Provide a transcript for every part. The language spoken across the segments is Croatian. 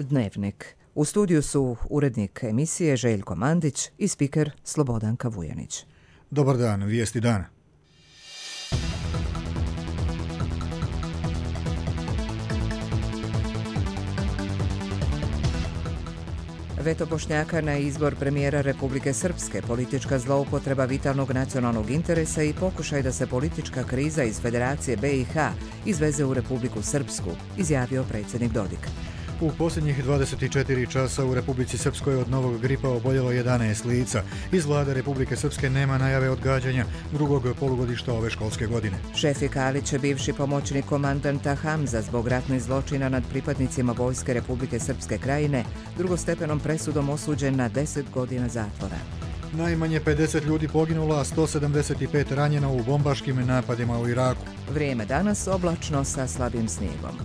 Dnevnik. U studiju su urednik emisije Željko Mandić i spiker Slobodanka Vujanić. Dobar dan, vijesti dana. Veto Bošnjaka na izbor premijera Republike Srpske, politička zloupotreba vitalnog nacionalnog interesa i pokušaj da se politička kriza iz Federacije BiH izveze u Republiku Srpsku, izjavio predsjednik Dodik. U posljednjih 24 časa u Republici Srpskoj od novog gripa oboljelo 11 lica. Iz vlade Republike Srpske nema najave odgađanja drugog polugodišta ove školske godine. Šefik Alić je bivši pomoćnik komandanta Hamza zbog ratnih zločina nad pripadnicima Vojske Republike Srpske Krajine drugostepenom presudom osuđen na 10 godina zatvora. Najmanje 50 ljudi poginulo, a 175 ranjeno u bombaškim napadima u Iraku. Vrijeme danas oblačno sa slabim snijegom.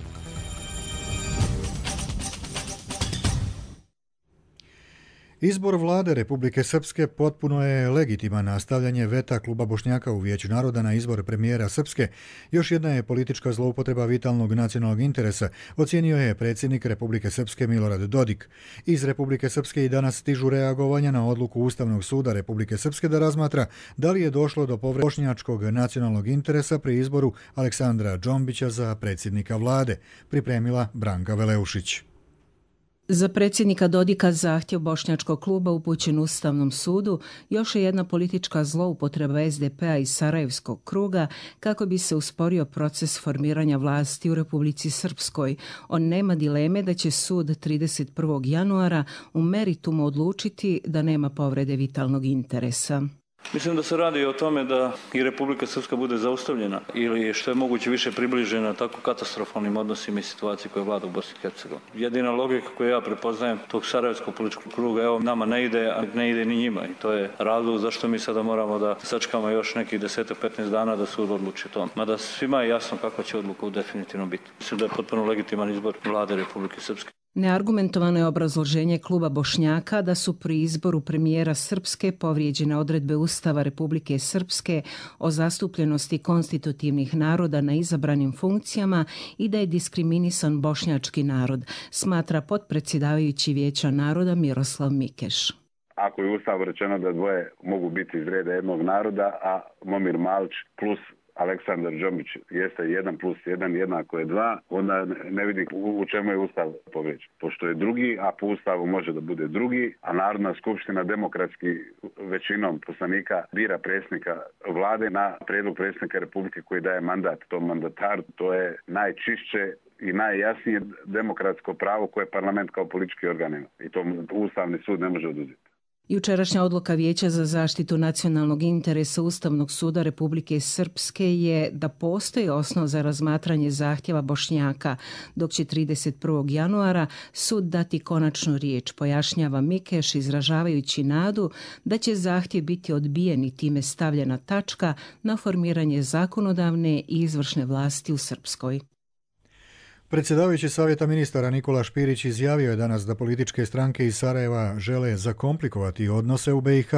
Izbor vlade Republike Srpske potpuno je legitiman, a stavljanje veta Kluba Bošnjaka u Vijeću naroda na izbor premijera Srpske još jedna je politička zloupotreba vitalnog nacionalnog interesa, ocijenio je predsjednik Republike Srpske Milorad Dodik. Iz Republike Srpske i danas stižu reagovanja na odluku Ustavnog suda Republike Srpske da razmatra da li je došlo do povrede bošnjačkog nacionalnog interesa pri izboru Aleksandra Džombića za predsjednika vlade, pripremila Branka Veleušić. Za predsjednika Dodika zahtjev bošnjačkog kluba upućen Ustavnom sudu još je jedna politička zloupotreba SDP-a iz Sarajevskog kruga kako bi se usporio proces formiranja vlasti u Republici Srpskoj. On nema dileme da će sud 31. januara u meritumu odlučiti da nema povrede vitalnog interesa. Mislim da se radi o tome da i Republika Srpska bude zaustavljena ili što je moguće više približena tako katastrofalnim odnosima i situaciji koja vlada u Bosni i Hercegovini. Jedina logika koju ja prepoznajem tog sarajevskog političkog kruga, evo nama ne ide, a ne ide ni njima i to je razlog zašto mi sada moramo da sačekamo još nekih 10-15 dana da sud odluči to. Mada svima je jasno kakva će odluka definitivno biti. Mislim da je potpuno legitiman izbor vlade Republike Srpske. Neargumentovano je obrazloženje Kluba Bošnjaka da su pri izboru premijera Srpske povrijeđene odredbe Ustava Republike Srpske o zastupljenosti konstitutivnih naroda na izabranim funkcijama i da je diskriminisan bošnjački narod, smatra potpredsjedavajući Vijeća naroda Miroslav Mikeš. Ako je u Ustavu rečeno da dvoje mogu biti iz reda jednog naroda, a Momir Malić plus Aleksandar Džombić jeste 1+1 jednako je 2, onda ne vidim u čemu je Ustav povrijeđen. Pošto je drugi, a po Ustavu može da bude drugi, a Narodna skupština demokratski većinom poslanika bira predsjednika vlade na prijedlog predsjednika Republike koji daje mandat tom mandataru. To je najčišće i najjasnije demokratsko pravo koje parlament kao politički organ ima. I to Ustavni sud ne može oduzeti. Jučerašnja odluka Vijeća za zaštitu nacionalnog interesa Ustavnog suda Republike Srpske je da postoji osnov za razmatranje zahtjeva Bošnjaka, dok će 31. januara sud dati konačnu riječ, pojašnjava Mikeš, izražavajući nadu da će zahtjev biti odbijen i time stavljena tačka na formiranje zakonodavne i izvršne vlasti u Srpskoj. Predsjedavajući Savjeta ministara Nikola Špirić izjavio je danas da političke stranke iz Sarajeva žele zakomplikovati odnose u BiH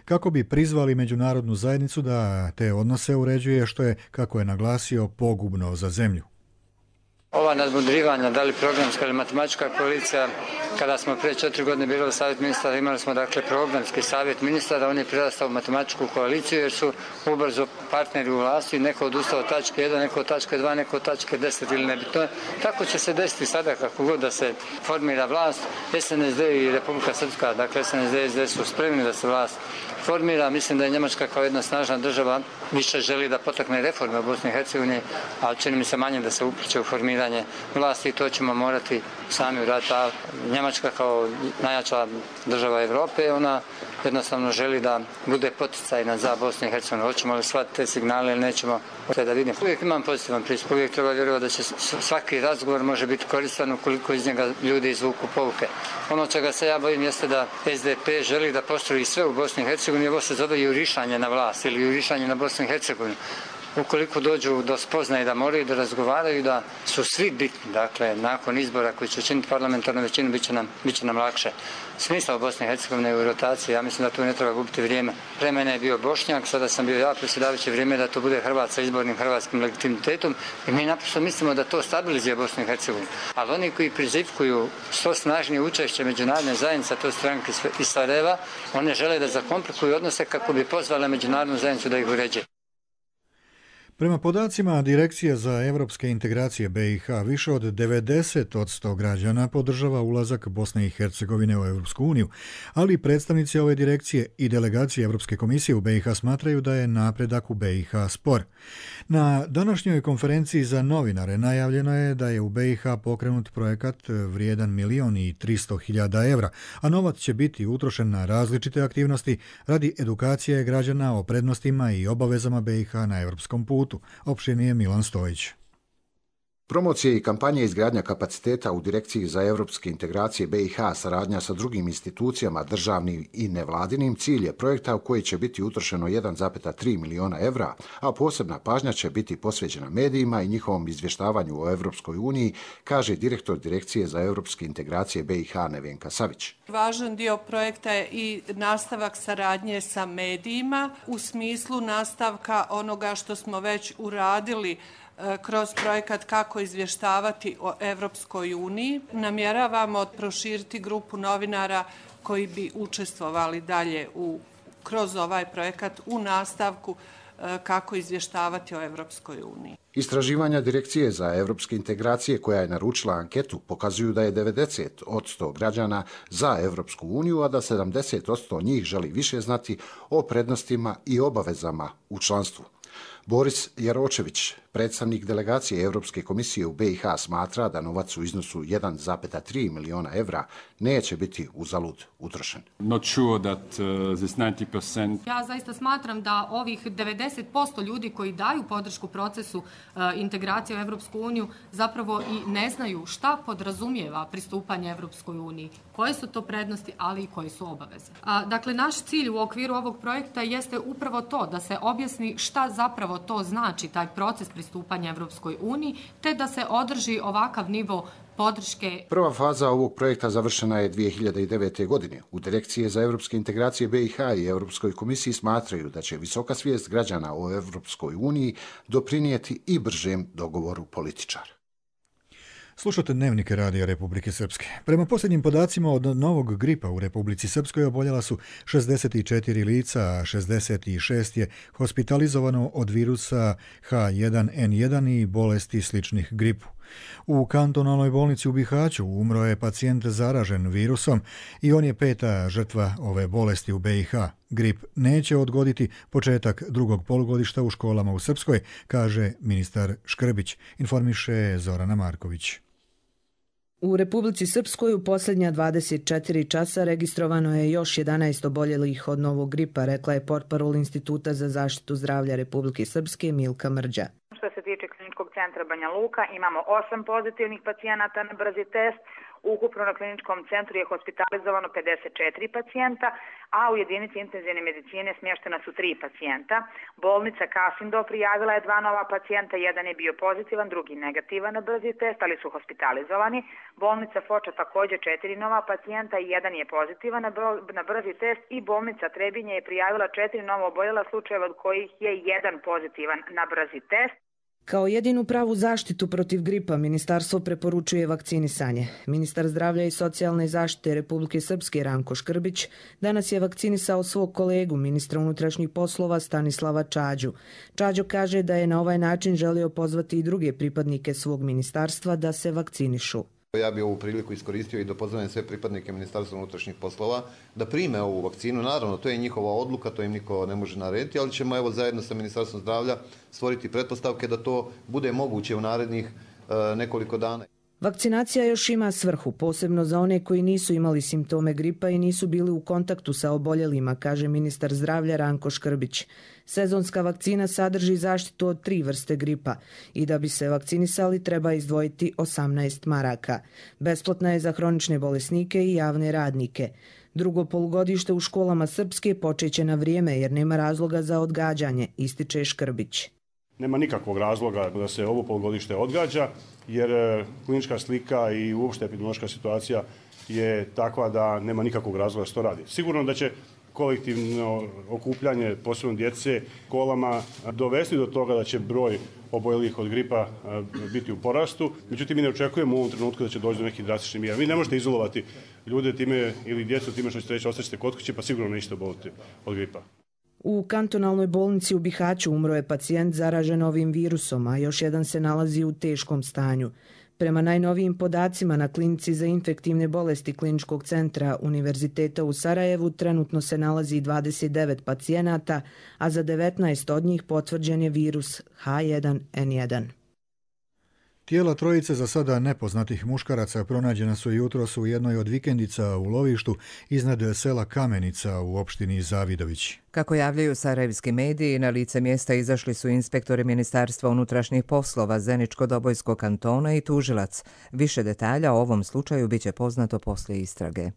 kako bi prizvali međunarodnu zajednicu da te odnose uređuje, što je, kako je naglasio, pogubno za zemlju. Ova nadmudrivanja, da li programska ili matematička koalicija, kada smo prije 4 godine bili u Savjet ministara, imali smo dakle programski Savjet ministara, on je prirastao u matematičku koaliciju jer su ubrzo partneri u vlasti, neko odustao od tačke 1, neko od tačke 2, neko od tačke 10 ili nebitno. Tako će se desiti sada kako god da se formira vlast. SNSD i Republika Srpska, dakle SNSD i SDS su spremni da se vlast formira. Mislim da je Njemačka kao jedna snažna država više želi da potakne reforme u Bosni i Hercegovini, ali čini mi se manje da se upliče u formiranje vlasti i to ćemo morati sami uraditi. A Njemačka kao najjača država Evrope, ona jednostavno želi da bude poticajna za Bosnu i Hercegovinu. Hoćemo li shvatiti te signale ili nećemo, da vidimo. Uvijek imam pozitivan pristup, uvijek treba vjerovati da će svaki razgovor može biti koristan ukoliko iz njega ljudi izvuku pouke. Ono čega se ja bojim jeste da SDP želi da postroji sve u Bosni i Hercegovini, ovo se zove jurišanje na vlast ili jurišanje na Bosnu i Hercegovinu. ukoliko dođu do spoznaje da moraju da razgovaraju, da su svi bitni, dakle, nakon izbora koji će učiniti parlamentarnu većinu, bit će nam lakše. Smisao Bosne i Hercegovine u rotaciji, ja mislim da tu ne treba gubiti vrijeme. Pre mene je bio Bošnjak, sada sam bio ja, predsjedavajući, vrijeme da to bude Hrvat sa izbornim hrvatskim legitimitetom i mi naprosto mislimo da to stabilizuje Bosnu i Hercegovinu. Ali oni koji prizivkuju što snažnije učešće međunarodne zajednice, to stranke iz Sarajeva, one žele da zakomplikuju odnose kako bi pozvale međunarodnu zajednicu da ih uređuje. Prema podacima Direkcije za europske integracije BiH, više od 90% građana podržava ulazak Bosne i Hercegovine u Europsku uniju, ali predstavnici ove direkcije i delegacije Europske komisije u BiH smatraju da je napredak u BiH spor. Na današnjoj konferenciji za novinare najavljeno je da je u BiH pokrenut projekat vrijedan 1.300.000 evra, a novac će biti utrošen na različite aktivnosti radi edukacije građana o prednostima i obavezama BiH na europskom putu. Opširnije Milan Stojić. Promocije i kampanje izgradnja kapaciteta u Direkciji za europske integracije BiH, saradnja sa drugim institucijama, državnim i nevladinim, cilj je projekta u koji će biti utrošeno 1,3 miliona evra, a posebna pažnja će biti posvećena medijima i njihovom izvještavanju o Europskoj uniji, kaže direktor Direkcije za europske integracije BiH Nevenka Savić. Važan dio projekta je i nastavak saradnje sa medijima u smislu nastavka onoga što smo već uradili kroz projekat kako izvještavati o Evropskoj uniji. Namjeravamo proširiti grupu novinara koji bi učestvovali dalje kroz ovaj projekat u nastavku kako izvještavati o Evropskoj uniji. Istraživanja Direkcije za europske integracije koja je naručila anketu pokazuju da je 90% građana za Evropsku uniju, a da 70% njih želi više znati o prednostima i obavezama u članstvu. Boris Jaročević, predstavnik delegacije Europske komisije u BiH, smatra da novac u iznosu 1,3 miliona evra neće biti uzalud utrošen. Ja zaista smatram da ovih 90% ljudi koji daju podršku procesu integracije u Europsku uniju zapravo i ne znaju šta podrazumijeva pristupanje Europskoj uniji, koje su to prednosti, ali i koje su obaveze. Dakle, naš cilj u okviru ovog projekta jeste upravo to, da se objasni šta zapravo to znači, taj proces pristupanja Evropskoj uniji, te da se održi ovakav nivo podrške. Prva faza ovog projekta završena je 2009. godine. U Direkcije za europske integracije BiH i Europskoj komisiji smatraju da će visoka svijest građana o Evropskoj uniji doprinijeti i bržem dogovoru političara. Slušate dnevnike Radija Republike Srpske. Prema posljednjim podacima od novog gripa u Republici Srpskoj oboljela su 64 lica, a 66 je hospitalizovano od virusa H1N1 i bolesti sličnih gripu. U kantonalnoj bolnici u Bihaću umro je pacijent zaražen virusom i on je 5. žrtva ove bolesti u BiH. Grip neće odgoditi početak drugog polugodišta u školama u Srpskoj, kaže ministar Škrbić, informiše Zorana Marković. U Republici Srpskoj u posljednja 24 časa registrovano je još 11 oboljelih od novog gripa, rekla je portparol Instituta za zaštitu zdravlja Republike Srpske Milka Mrđa. Što se tiče kliničkog centra Banja Luka, imamo 8 pozitivnih pacijenata na brzi test. Ukupno na kliničkom centru je hospitalizovano 54 pacijenta, a u jedinici intenzivne medicine smještena su 3 pacijenta. Bolnica Kasindo prijavila je 2 nova pacijenta, jedan je bio pozitivan, drugi negativan na brzi test, ali su hospitalizovani. Bolnica Foča također 4 nova pacijenta i jedan je pozitivan na brzi test i bolnica Trebinje je prijavila 4 novo oboljela slučajeva od kojih je jedan pozitivan na brzi test. Kao jedinu pravu zaštitu protiv gripa ministarstvo preporučuje vakcinisanje. Ministar zdravlja i socijalne zaštite Republike Srpske Ranko Škrbić danas je vakcinisao svog kolegu, ministra unutrašnjih poslova Stanislava Čađu. Čađo kaže da je na ovaj način želio pozvati i druge pripadnike svog ministarstva da se vakcinišu. Ja bih ovu priliku iskoristio i da pozovem sve pripadnike Ministarstva unutrašnjih poslova da prime ovu vakcinu. Naravno, to je njihova odluka, to im niko ne može narediti, ali ćemo zajedno sa Ministarstvom zdravlja stvoriti pretpostavke da to bude moguće u narednih nekoliko dana. Vakcinacija još ima svrhu, posebno za one koji nisu imali simptome gripa i nisu bili u kontaktu sa oboljelima, kaže ministar zdravlja Ranko Škrbić. Sezonska vakcina sadrži zaštitu od 3 vrste gripa i da bi se vakcinisali treba izdvojiti 18 maraka. Besplatna je za hronične bolesnike i javne radnike. Drugo polugodište u školama Srpske počeće na vrijeme jer nema razloga za odgađanje, ističe Škrbić. Nema nikakvog razloga da se ovo polugodište odgađa, jer klinička slika i uopšte epidemiološka situacija je takva da nema nikakvog razloga da se to radi. Sigurno da će kolektivno okupljanje, posebno djece, školama dovesti do toga da će broj oboljelih od gripa biti u porastu. Međutim, mi ne očekujemo u ovom trenutku da će doći do nekih drastičnih mjera. Vi ne možete izolovati ljude time ili djecu time što ćete reći ostaćete kod kuće, pa sigurno nećete oboliti od gripa. U kantonalnoj bolnici u Bihaću umro je pacijent zaražen ovim virusom, a još jedan se nalazi u teškom stanju. Prema najnovijim podacima na klinici za infektivne bolesti Kliničkog centra Univerziteta u Sarajevu trenutno se nalazi 29 pacijenata, a za 19 od njih potvrđen je virus H1N1. Tijela trojice za sada nepoznatih muškaraca pronađena su jutros u jednoj od vikendica u lovištu iznad sela Kamenica u opštini Zavidović. Kako javljaju sarajevski mediji, na lice mjesta izašli su inspektori Ministarstva unutrašnjih poslova Zeničko-Dobojskog kantona i tužilac. Više detalja o ovom slučaju biće poznato poslije istrage.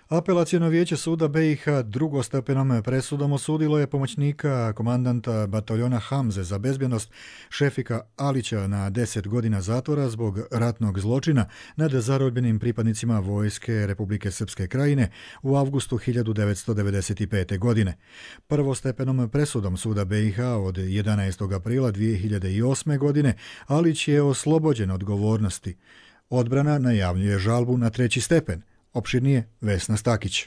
Apelaciono vijeće suda BiH drugostepenom presudom osudilo je pomoćnika komandanta bataljona Hamze za bezbjednost Šefika Alića na 10 godina zatvora zbog ratnog zločina nad zarobljenim pripadnicima vojske Republike Srpske Krajine u avgustu 1995. godine. Prvostepenom presudom suda BiH od 11. aprila 2008. godine Alić je oslobođen odgovornosti. Odbrana najavljuje žalbu na 3. stepen. Opširnije Vesna Stakić.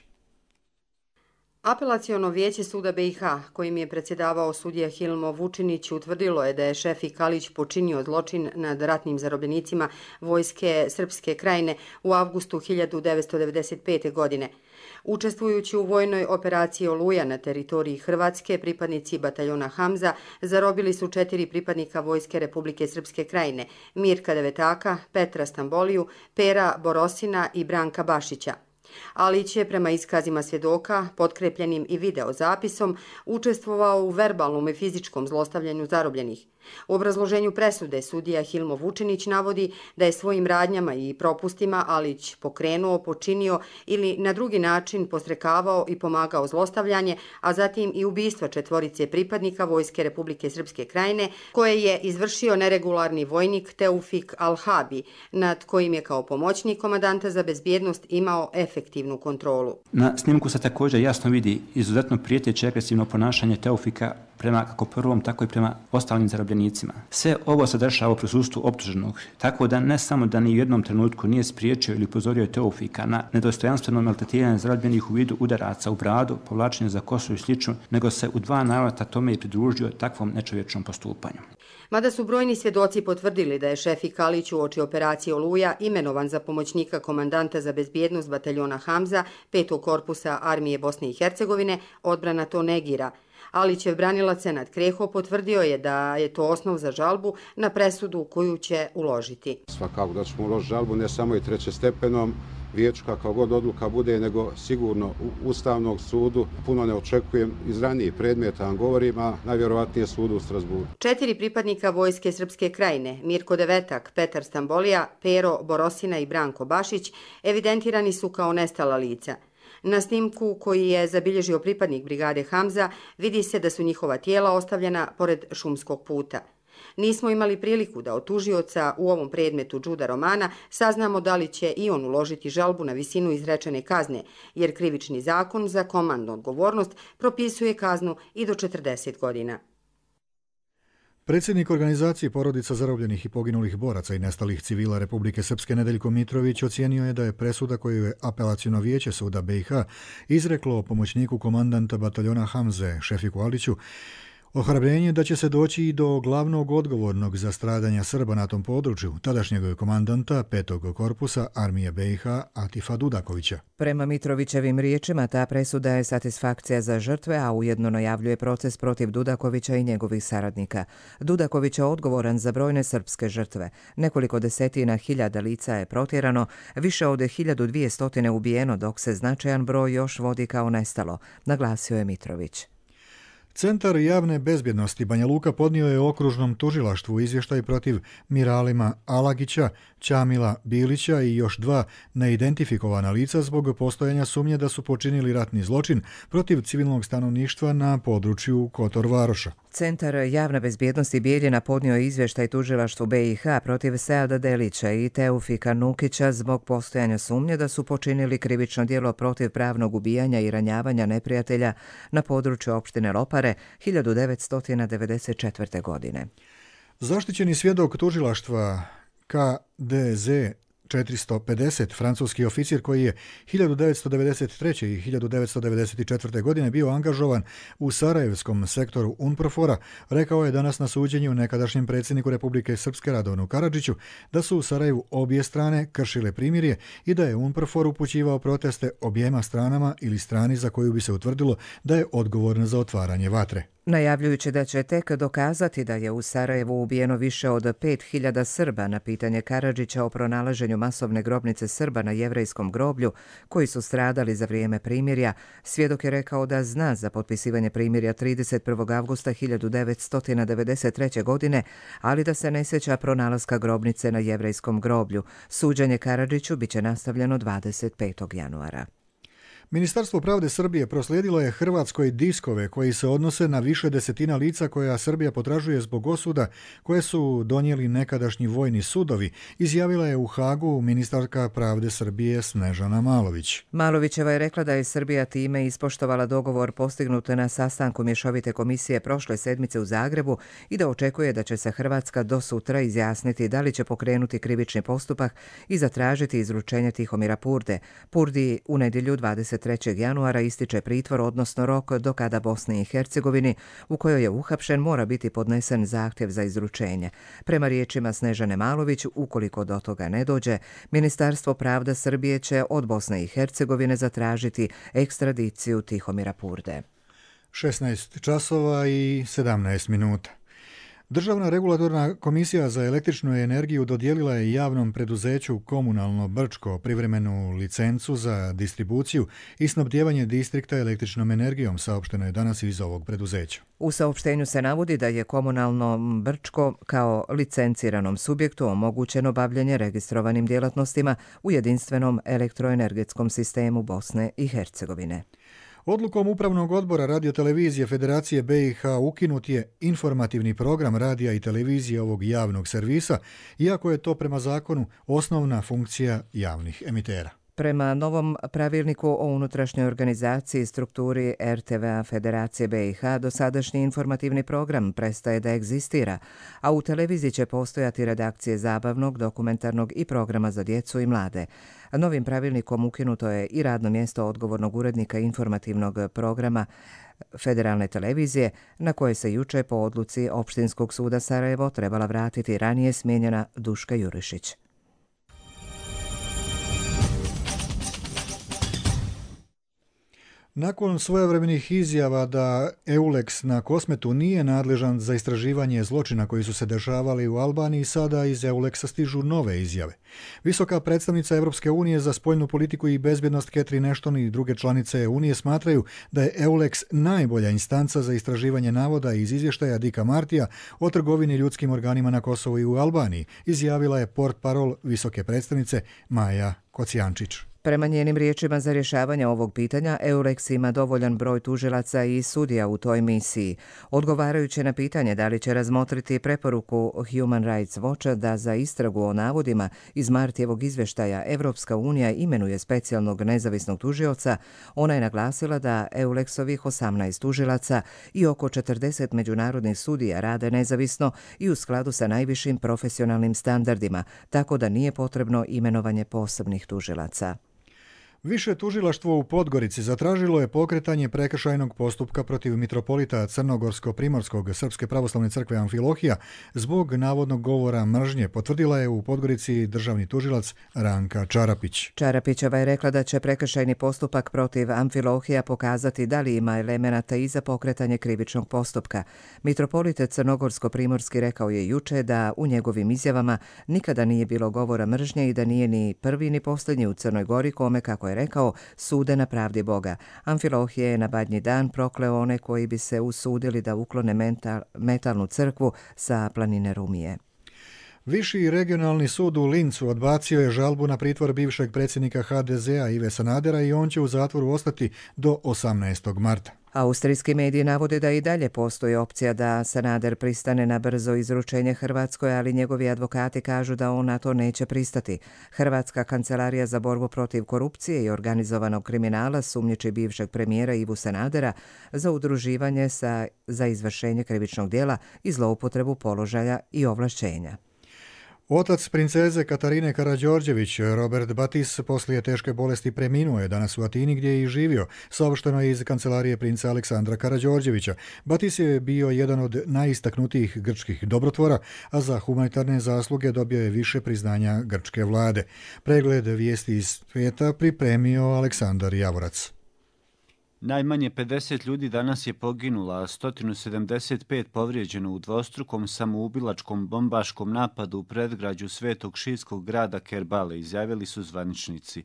Apelaciono vijeće suda BiH, kojim je predsjedavao sudija Hilmo Vučinić, utvrdilo je da je Šefik Alić počinio zločin nad ratnim zarobljenicima vojske Srpske Krajine u avgustu 1995. godine. Učestvujući u vojnoj operaciji Oluja na teritoriji Hrvatske, pripadnici bataljona Hamza zarobili su 4 pripadnika vojske Republike Srpske Krajine, Mirka Devetaka, Petra Stamboliju, Pera Borosina i Branka Bašića. Alić je prema iskazima svjedoka, potkrepljenim i videozapisom, učestvovao u verbalnom i fizičkom zlostavljanju zarobljenih. U obrazloženju presude sudija Hilmo Vučinić navodi da je svojim radnjama i propustima Alić pokrenuo, počinio ili na drugi način posrekavao i pomagao zlostavljanje, a zatim i ubistvo 4 pripadnika vojske Republike Srpske Krajine, koje je izvršio neregularni vojnik Teufik Al-Habi, nad kojim je kao pomoćnik komandanta za bezbjednost imao efektivnu kontrolu. Na snimku se također jasno vidi izuzetno prijeteće agresivno ponašanje Teufika prema kako prvom, tako i prema ostalim zarobljenicima. Sve ovo se dešava u prisustvu optuženog, tako da ne samo da ni u jednom trenutku nije spriječio ili upozorio Teufika na nedostojanstveno maltretiranje zarobljenih u vidu udaraca u bradu, povlačenje za kosu i slično, nego se u 2 navrata tome i pridružio takvom nečovječnom postupanju. Mada su brojni svjedoci potvrdili da je Šefik Alić uoči operacije Oluja imenovan za pomoćnika komandanta za bezbjednost bataljona Hamza 5. korpusa armije Bosne i Hercegovine, odbrana to negira. Alićev branilac Senad Kreho potvrdio je da je to osnov za žalbu na presudu koju će uložiti. Svakako da ćemo uložiti žalbu ne samo i 3. stepenom vijeću kakva god odluka bude, nego sigurno u Ustavnog sudu. Puno ne očekujem iz ranijih predmeta, govorim, a najvjerovatnije sudu u Strasburu. 4 pripadnika vojske Srpske Krajine, Mirko Devetak, Petar Stambolija, Pero Borosina i Branko Bašić, evidentirani su kao nestala lica. Na snimku koji je zabilježio pripadnik brigade Hamza vidi se da su njihova tijela ostavljena pored šumskog puta. Nismo imali priliku da od tužioca u ovom predmetu Đuda Romana saznamo da li će i on uložiti žalbu na visinu izrečene kazne, jer krivični zakon za komandnu odgovornost propisuje kaznu i do 40 godina. Predsjednik organizacije porodica zarobljenih i poginulih boraca i nestalih civila Republike Srpske Nedeljko Mitrović ocijenio je da je presuda koju je apelaciono vijeće suda BiH izreklo pomoćniku komandanta bataljona Hamze Šefiku Aliću ohrabrenje da će se doći i do glavnog odgovornog za stradanja Srba na tom području, tadašnjeg komandanta 5. korpusa armije BiH Atifa Dudakovića. Prema Mitrovićevim riječima, ta presuda je satisfakcija za žrtve, a ujedno najavljuje proces protiv Dudakovića i njegovih saradnika. Dudaković je odgovoran za brojne srpske žrtve. Nekoliko desetina hiljada lica je protjerano, više od 1200 ubijeno, dok se značajan broj još vodi kao nestalo, naglasio je Mitrović. Centar javne bezbjednosti Banja Luka podnio je okružnom tužilaštvu izvještaj protiv Miralima Alagića, Ćamila Bilića i još 2 neidentifikovana lica zbog postojanja sumnje da su počinili ratni zločin protiv civilnog stanovništva na području Kotor Varoša. Centar javne bezbjednosti Bijeljina podnio je izvještaj tužilaštvu BiH protiv Seada Delića i Teufika Nukića zbog postojanja sumnje da su počinili krivično djelo protiv pravnog ubijanja i ranjavanja neprijatelja na području opštine Lopare 1994. godine. Zaštićeni svjedok tužilaštva KDZ 450, francuski oficir koji je 1993. i 1994. godine bio angažovan u sarajevskom sektoru UNPROFOR-a, rekao je danas na suđenju nekadašnjem predsjedniku Republike Srpske Radovanu Karadžiću da su u Sarajevu obje strane kršile primirje i da je UNPROFOR upućivao proteste objema stranama ili strani za koju bi se utvrdilo da je odgovorna za otvaranje vatre. Najavljujući da će tek dokazati da je u Sarajevu ubijeno više od 5000 Srba na pitanje Karadžića o pronalaženju masovne grobnice Srba na jevrejskom groblju koji su stradali za vrijeme primirja, svjedok je rekao da zna za potpisivanje primirja 31. avgusta 1993. godine, ali da se ne sjeća pronalaska grobnice na jevrejskom groblju. Suđenje Karadžiću biće nastavljeno 25. januara. Ministarstvo pravde Srbije proslijedilo je Hrvatskoj diskove koji se odnose na više desetina lica koja Srbija potražuje zbog osuda koje su donijeli nekadašnji vojni sudovi, izjavila je u Hagu ministarka pravde Srbije Snežana Malović. Malovićeva je rekla da je Srbija time ispoštovala dogovor postignut na sastanku mješovite komisije prošle sedmice u Zagrebu i da očekuje da će se Hrvatska do sutra izjasniti da li će pokrenuti krivični postupak i zatražiti izručenje Tihomira Purde. Purdi u nedjelju 23. januara ističe pritvor, odnosno rok do kada Bosni i Hercegovini, u kojoj je uhapšen, mora biti podnesen zahtjev za izručenje. Prema riječima Snežane Malović, ukoliko do toga ne dođe, Ministarstvo pravde Srbije će od Bosne i Hercegovine zatražiti ekstradiciju Tihomira Purde. 16 časova i 17 minuta. Državna regulatorna komisija za električnu energiju dodijelila je javnom preduzeću Komunalno Brčko privremenu licencu za distribuciju i snabdijevanje distrikta električnom energijom, saopšteno je danas iz ovog preduzeća. U saopštenju se navodi da je Komunalno Brčko kao licenciranom subjektu omogućeno bavljenje registrovanim djelatnostima u jedinstvenom elektroenergetskom sistemu Bosne i Hercegovine. Odlukom Upravnog odbora radiotelevizije Federacije BiH ukinut je informativni program radija i televizije ovog javnog servisa, iako je to prema zakonu osnovna funkcija javnih emitera. Prema novom pravilniku o unutrašnjoj organizaciji i strukturi RTV-a Federacije BiH, dosadašnji informativni program prestaje da egzistira, a u televiziji će postojati redakcije zabavnog, dokumentarnog i programa za djecu i mlade. Novim pravilnikom ukinuto je i radno mjesto odgovornog urednika informativnog programa Federalne televizije, na koje se juče po odluci Opštinskog suda Sarajevo trebala vratiti ranije smijenjena Duška Jurišić. Nakon svojevremenih izjava da EULEX na Kosmetu nije nadležan za istraživanje zločina koji su se dešavali u Albaniji, sada iz EULEX-a stižu nove izjave. Visoka predstavnica Europske unije za spoljnu politiku i bezbjednost Catherine Ashton i druge članice Unije smatraju da je EULEX najbolja instanca za istraživanje navoda iz izvještaja Dicka Martija o trgovini ljudskim organima na Kosovu i u Albaniji, izjavila je portparol visoke predstavnice Maja Kocijančić. Prema njenim riječima, za rješavanje ovog pitanja EULEX ima dovoljan broj tužilaca i sudija u toj misiji. Odgovarajući na pitanje da li će razmotriti preporuku Human Rights Watcha da za istragu o navodima iz Martijevog izvještaja Evropska unija imenuje specijalnog nezavisnog tužioca, ona je naglasila da EULEX-ovih 18 tužilaca i oko 40 međunarodnih sudija rade nezavisno i u skladu sa najvišim profesionalnim standardima, tako da nije potrebno imenovanje posebnih tužilaca. Više tužilaštvo u Podgorici zatražilo je pokretanje prekršajnog postupka protiv mitropolita Crnogorsko-Primorskog Srpske pravoslavne crkve Amfilohija zbog navodnog govora mržnje, potvrdila je u Podgorici državni tužilac Ranka Čarapić. Čarapićeva je rekla da će prekršajni postupak protiv Amfilohija pokazati da li ima elemenata i za pokretanje krivičnog postupka. Mitropolit Crnogorsko-Primorski rekao je juče da u njegovim izjavama nikada nije bilo govora mržnje i da nije ni prvi ni posljednji u Crnoj Gori kome, kako je je rekao, sude na pravdi Boga. Amfilohije je na Badnji dan prokleo one koji bi se usudili da uklone metalnu crkvu sa planine Rumije. Viši regionalni sud u Lincu odbacio je žalbu na pritvor bivšeg predsjednika HDZ-a Ive Sanadera i on će u zatvoru ostati do 18. marta. Austrijski mediji navode da i dalje postoji opcija da Sanader pristane na brzo izručenje Hrvatskoj, ali njegovi advokati kažu da on na to neće pristati. Hrvatska kancelarija za borbu protiv korupcije i organizovanog kriminala sumnjiči bivšeg premijera Ivu Sanadera za udruživanje za izvršenje krivičnog djela i zloupotrebu položaja i ovlašćenja. Otac princeze Katarine Karađorđević, Robert Batis, poslije teške bolesti preminuo je danas u Atini gdje je i živio, saopšteno je iz kancelarije princa Aleksandra Karađorđevića. Batis je bio jedan od najistaknutijih grčkih dobrotvora, a za humanitarne zasluge dobio je više priznanja grčke vlade. Pregled vijesti iz svijeta pripremio Aleksandar Javorac. Najmanje 50 ljudi danas je poginulo, a 175 povrijeđeno u dvostrukom samoubilačkom bombaškom napadu u predgrađu svetog šiitskog grada Kerbale, izjavili su zvaničnici.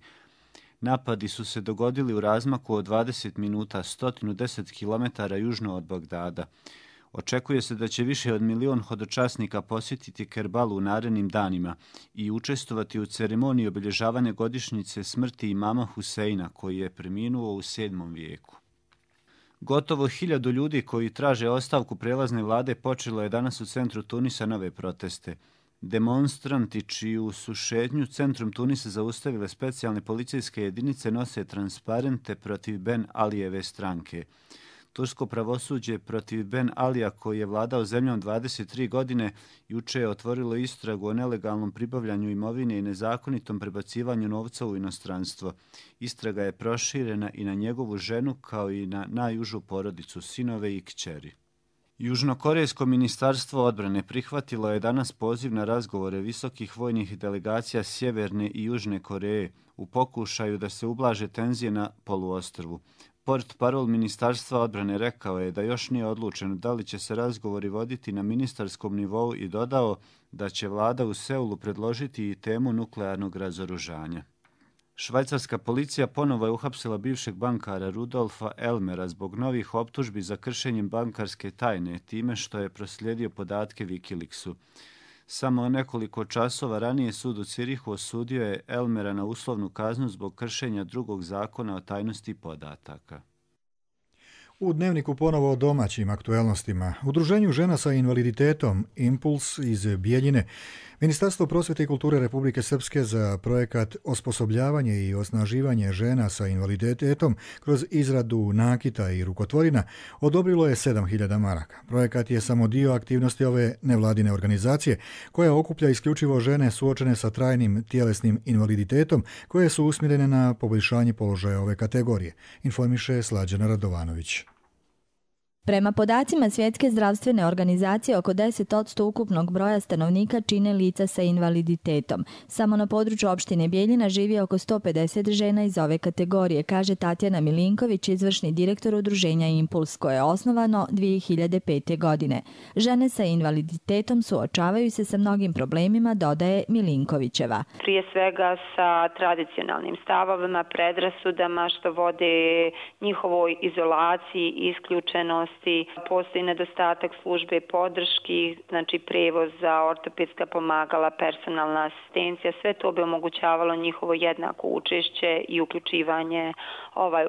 Napadi su se dogodili u razmaku od 20 minuta, 110 km južno od Bagdada. Očekuje se da će više od 1 milion hodočasnika posjetiti Kerbalu u narednim danima i učestvovati u ceremoniji obilježavanja godišnjice smrti imama Huseina, koji je preminuo u 7. vijeku. Gotovo 1000 ljudi koji traže ostavku prelazne vlade počelo je danas u centru Tunisa nove proteste. Demonstranti čiju su šetnju centrom Tunisa zaustavile specijalne policijske jedinice nose transparente protiv Ben Alijeve stranke. Tursko pravosuđe protiv Ben Alija, koji je vladao zemljom 23 godine, juče je otvorilo istragu o nelegalnom pribavljanju imovine i nezakonitom prebacivanju novca u inostranstvo. Istraga je proširena i na njegovu ženu kao i na najužu porodicu, sinove i kćeri. Južnokorejsko ministarstvo odbrane prihvatilo je danas poziv na razgovore visokih vojnih delegacija Sjeverne i Južne Koreje u pokušaju da se ublaže tenzije na poluostrvu. Portparol Ministarstva odbrane rekao je da još nije odlučeno da li će se razgovori voditi na ministarskom nivou i dodao da će vlada u Seulu predložiti i temu nuklearnog razoružanja. Švajcarska policija ponovo je uhapsila bivšeg bankara Rudolfa Elmera zbog novih optužbi za kršenjem bankarske tajne, time što je proslijedio podatke Wikileaksu. Samo nekoliko časova ranije sud u Cirihu osudio je Elmera na uslovnu kaznu zbog kršenja drugog zakona o tajnosti podataka. U Dnevniku ponovo o domaćim aktuelnostima. Udruženju žena sa invaliditetom Impuls iz Bijeljine, Ministarstvo prosvjete i kulture Republike Srpske za projekat osposobljavanje i osnaživanje žena sa invaliditetom kroz izradu nakita i rukotvorina odobrilo je 7.000 maraka. Projekat je samo dio aktivnosti ove nevladine organizacije koja okuplja isključivo žene suočene sa trajnim tjelesnim invaliditetom koje su usmjerene na poboljšanje položaja ove kategorije, informiše Slađana Radovanović. Prema podacima Svjetske zdravstvene organizacije, oko 10% ukupnog broja stanovnika čine lica sa invaliditetom. Samo na području opštine Bijeljina živi oko 150 žena iz ove kategorije, kaže Tatjana Milinković, izvršni direktor udruženja Impuls, koje je osnovano 2005. godine. Žene sa invaliditetom suočavaju se sa mnogim problemima, dodaje Milinkovićeva. Prije svega sa tradicionalnim stavovima, predrasudama što vode njihovoj izolaciji, isključenosti. Postoji nedostatak službe podrški, znači prevoz za ortopedska pomagala, personalna asistencija, sve to bi omogućavalo njihovo jednako učešće i uključivanje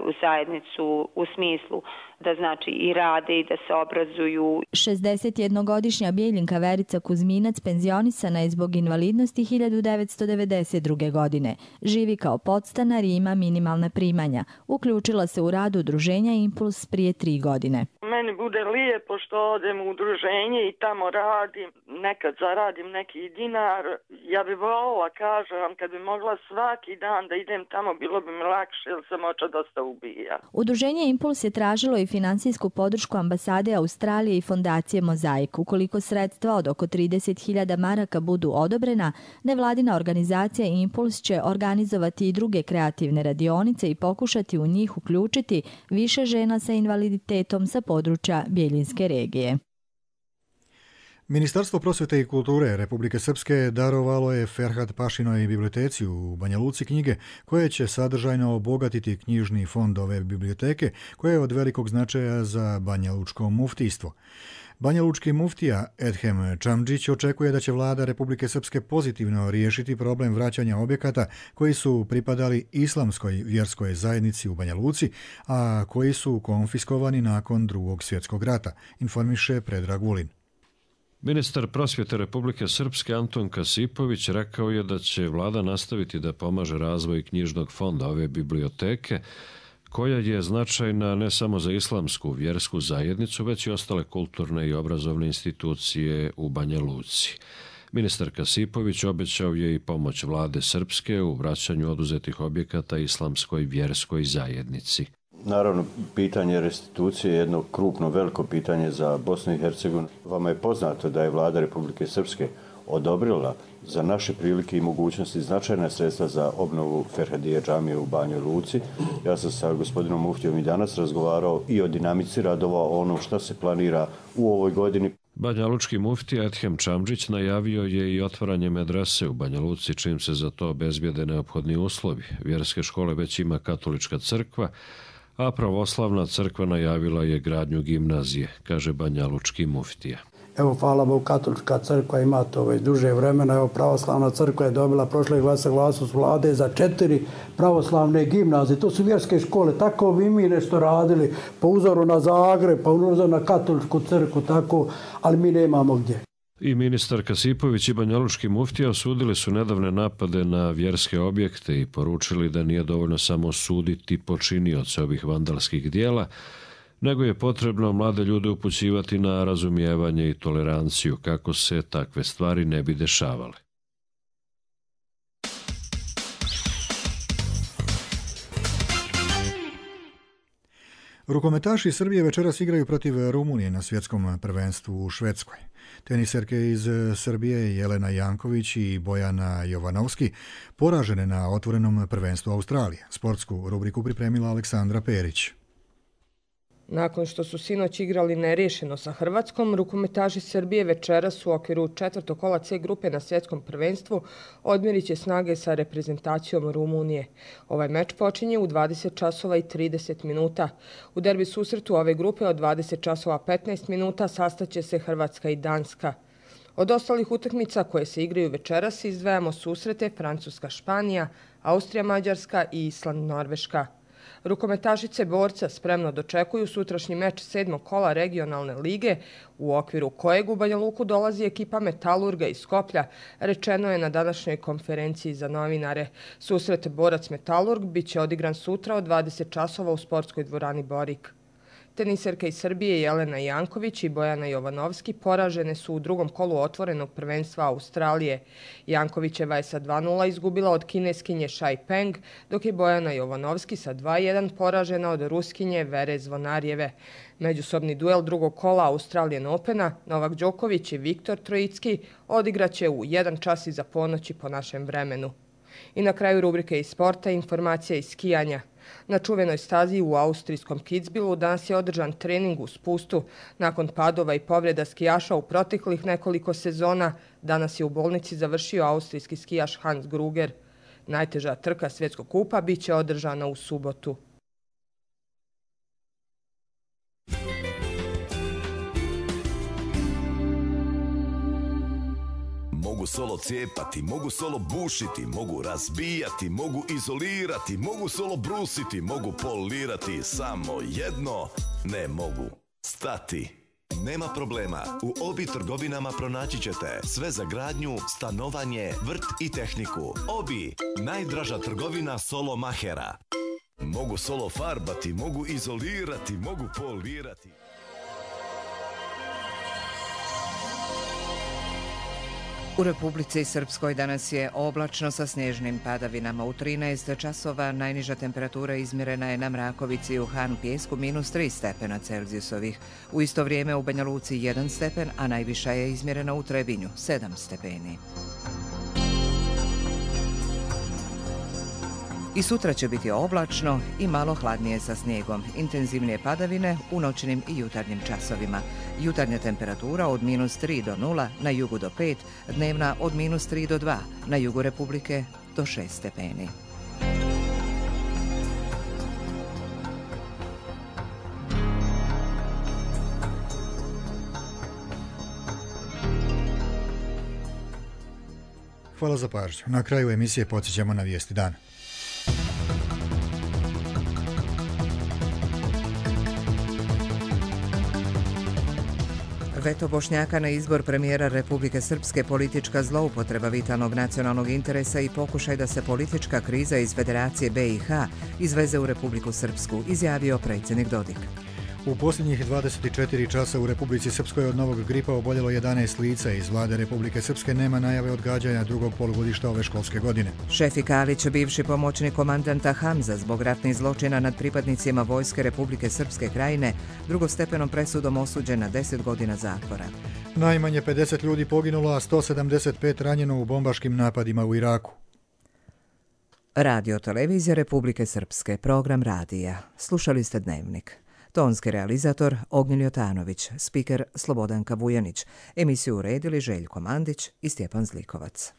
u zajednicu u smislu da znači i rade i da se obrazuju. 61-godišnja Bijeljinka Verica Kuzminac penzionisana je zbog invalidnosti 1992. godine. Živi kao podstanar i ima minimalna primanja. Uključila se u rad udruženja Impuls prije 3 godine. Meni bude lijepo što odem u udruženje i tamo radim, nekad zaradim neki dinar. Ja bi volila, kažem, kad bi mogla svaki dan da idem tamo, bilo bi mi lakše jer sam oča dosta ubija. Udruženje Impuls je tražilo i finansijsku podršku ambasade Australije i fondacije Mozaik. Ukoliko sredstva od oko 30.000 maraka budu odobrena, nevladina organizacija Impuls će organizovati i druge kreativne radionice i pokušati u njih uključiti više žena sa invaliditetom sa područja Bijeljinske regije. Ministarstvo prosvjete i kulture Republike Srpske darovalo je Ferhat Pašinoj biblioteci u Banja Luci knjige koje će sadržajno obogatiti knjižni fond ove biblioteke koje je od velikog značaja za Banja Lučko muftijstvo. Banja Lučki muftija Edhem Čamdžić očekuje da će vlada Republike Srpske pozitivno riješiti problem vraćanja objekata koji su pripadali islamskoj vjerskoj zajednici u Banja Luci, a koji su konfiskovani nakon Drugog svjetskog rata, informiše Predrag Vulin. Ministar prosvjete Republike Srpske Anton Kasipović rekao je da će vlada nastaviti da pomaže razvoj knjižnog fonda ove biblioteke, koja je značajna ne samo za islamsku vjersku zajednicu, već i ostale kulturne i obrazovne institucije u Banja Luci. Ministar Kasipović obećao je i pomoć vlade Srpske u vraćanju oduzetih objekata islamskoj vjerskoj zajednici. Naravno, pitanje restitucije je jedno krupno, veliko pitanje za Bosnu i Hercegovinu. Vama je poznato da je vlada Republike Srpske odobrila za naše prilike i mogućnosti značajna sredstva za obnovu Ferhadije džamije u Banjoj Luci. Ja sam sa gospodinom muftijom i danas razgovarao i o dinamici radova, o onom što se planira u ovoj godini. Banja Lučki muftija Edhem Čamdžić najavio je i otvaranje medrese u Banja Luci, čim se za to obezbijede neophodni uslovi. Vjerske škole već ima katolička crkva, a pravoslavna crkva najavila je gradnju gimnazije, kaže Banja Lučki muftija. Evo, hvala Bogu, katolička crkva ima to već duže vremena. Evo, pravoslavna crkva je dobila prošle saglasnost vlade za 4 pravoslavne gimnazije. To su vjerske škole. Tako bi mi nešto radili po uzoru na Zagreb, po uzoru na katoličku crkvu, tako, ali mi nemamo gdje. I ministar Kasipović i Banja Lučki muftija osudili su nedavne napade na vjerske objekte i poručili da nije dovoljno samo osuditi počinioce ovih vandalskih dijela, nego je potrebno mlade ljude upućivati na razumijevanje i toleranciju kako se takve stvari ne bi dešavale. Rukometaši Srbije večeras igraju protiv Rumunije na svjetskom prvenstvu u Švedskoj. Teniserke iz Srbije Jelena Janković i Bojana Jovanovski poražene na otvorenom prvenstvu Australije. Sportsku rubriku pripremila Aleksandra Perić. Nakon što su sinoć igrali neriješeno sa Hrvatskom, rukometaši Srbije večeras u okviru 4. kola C grupe na svjetskom prvenstvu odmjerit će snage sa reprezentacijom Rumunije. Ovaj meč počinje u 20 časova i 30 minuta. U derbi susretu ove grupe od 20 časova 15 minuta sastaće se Hrvatska i Danska. Od ostalih utakmica koje se igraju večeras izdvajamo susrete Francuska-Španija, Austrija-Mađarska i Island-Norveška. Rukometašice borca spremno dočekuju sutrašnji meč 7. kola regionalne lige, u okviru kojeg u Banja Luku dolazi ekipa Metalurga iz Skoplja, rečeno je na današnjoj konferenciji za novinare. Susret borac-Metalurg biće odigran sutra od 20 časova u sportskoj dvorani Borik. Teniserka iz Srbije Jelena Janković i Bojana Jovanovski poražene su u drugom kolu otvorenog prvenstva Australije. Jankovićeva je sa 2:0 izgubila od kineskinje Shai Peng, dok je Bojana Jovanovski sa 2:1 poražena od Ruskinje Vere Zvonarjeve. Međusobni duel drugog kola Australian Opena Novak Đoković i Viktor Trojicki odigraće u 1 čas iza ponoći po našem vremenu. I na kraju rubrike iz sporta informacija iz skijanja. Na čuvenoj stazi u austrijskom Kitzbühelu danas je održan trening u spustu. Nakon padova i povreda skijaša u proteklih nekoliko sezona, danas je u bolnici završio austrijski skijaš Hans Gruger. Najteža trka svjetskog kupa bit će održana u subotu. Mogu solo cijepati, mogu solo bušiti, mogu razbijati, mogu izolirati, mogu solo brusiti, mogu polirati, samo jedno ne mogu stati. Nema problema, u Obi trgovinama pronaći ćete sve za gradnju, stanovanje, vrt i tehniku. Obi, najdraža trgovina solo mahera. Mogu solo farbati, mogu izolirati, mogu polirati. U Republici Srpskoj danas je oblačno sa snježnim padavinama. U 13 časova najniža temperatura izmjerena je na Mrakovici i u Han Pjesku -3 stepena Celzijusovih. U isto vrijeme u Banja Luci 1 stepen, a najviša je izmjerena u Trebinju 7 stepeni. I sutra će biti oblačno i malo hladnije sa snijegom. Intenzivnije padavine u noćnim i jutarnjim časovima. Jutarnja temperatura od -3 do 0, na jugu do 5, dnevna od -3 do 2, na jugu Republike do 6 stepeni. Hvala za pažnju. Na kraju emisije podsjećamo na vijesti dana. Veto Bošnjaka na izbor premijera Republike Srpske politička zloupotreba vitalnog nacionalnog interesa i pokušaj da se politička kriza iz Federacije BiH izveze u Republiku Srpsku, izjavio predsjednik Dodik. U posljednjih 24 časa u Republici Srpskoj od novog gripa oboljelo 11 lica. Iz vlade Republike Srpske nema najave odgađanja drugog polugodišta ove školske godine. Šefik Kalić, bivši pomoćnik komandanta Hamza zbog ratnih zločina nad pripadnicima Vojske Republike Srpske Krajine, drugostepenom presudom osuđen na 10 godina zatvora. Najmanje 50 ljudi poginulo, a 175 ranjeno u bombaškim napadima u Iraku. Radio televizija Republike Srpske, program radija. Slušali ste Dnevnik. Tonski realizator Ognjen Jotanović, spiker Slobodanka Vujanić, emisiju uredili Željko Mandić i Stjepan Zlikovac.